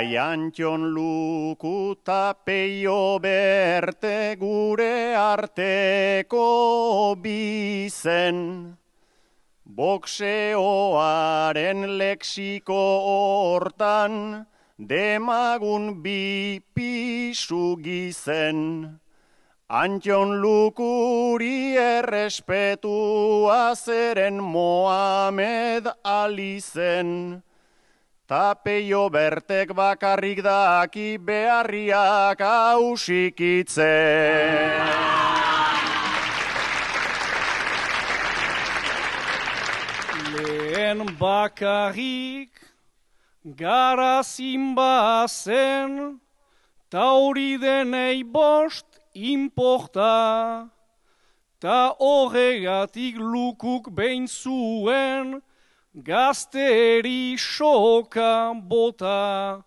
Bai Antxon Luku ta Peio Berte gure arteko bizen. Boxeoaren lexiko hortan demagun bi pisu gizen. Antxon Lukuri errespetua zeren Mohamed Ali zen. Ta Peio Bertek bakarrik daki beharriak hausikitzen. Lehen bakarrik garazin bazen, ta hori denei bost inporta, ta horregatik Lukuk behin zuen, gazteri soka bota.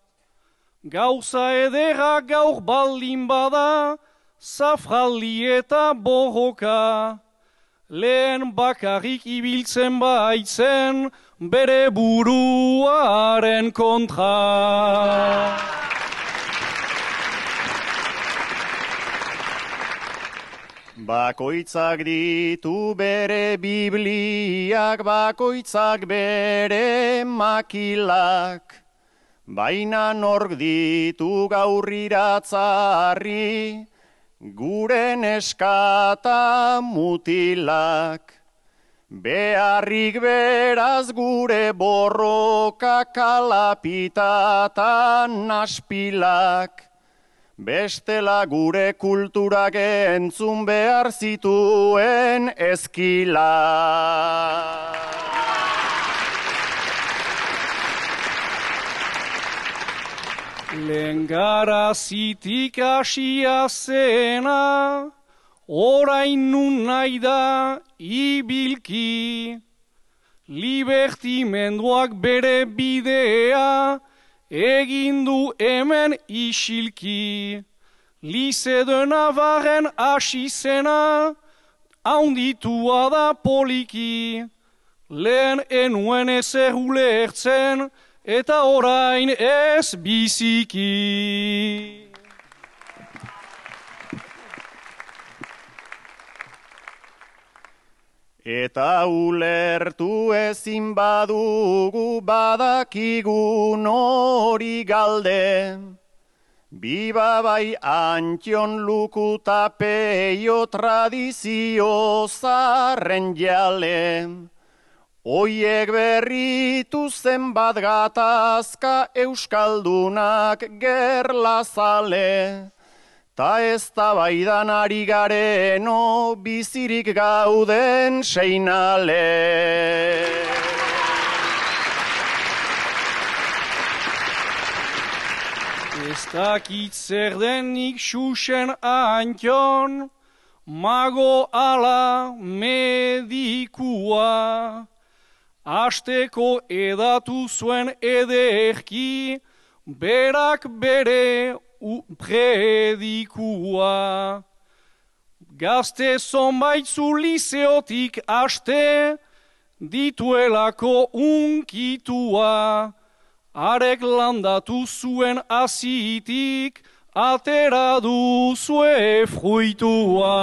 Gauza edera gaur baldin bada, zafraldi eta borroka. Lehen bakarrik ibiltzen baitzen, bere buruaren kontra. Bakoitzak ditu bere bibliak, bakoitzak bere makilak. Baina nork ditu gaurriratzarri, gure neskata mutilak. Beharrik beraz gure borroka kalapitatan naspilak. Bestela gure kulturak entzun behar zituen ezkila. Lehen garazitik hasia zena, orain nun nahi da ibilki. Libertimenduak bere bidea, egin du hemen isilki. Lize Navarren hasi zena, haunditua da poliki. Lehen enuen ezer ulertzen, eta orain ez biziki. Eta ulertu ezin badugu badakigu nori galde. Biba bai Antxon Luku ta Peio tradizio zarren jale. Oiek berritu zenbat gatazka euskaldunak gerlazale. Ta ez da baidan ari gareno bizirik gauden seinale. Ez dakit zer denik Xuxen Antxon, mago ala medikua. Asteko edatu zuen ederki, berak bere predikua. Gazte zonbaitzu lizeotik aste, dituelako unkitua. Arek landatu zuen azitik, atera duzue fruitua.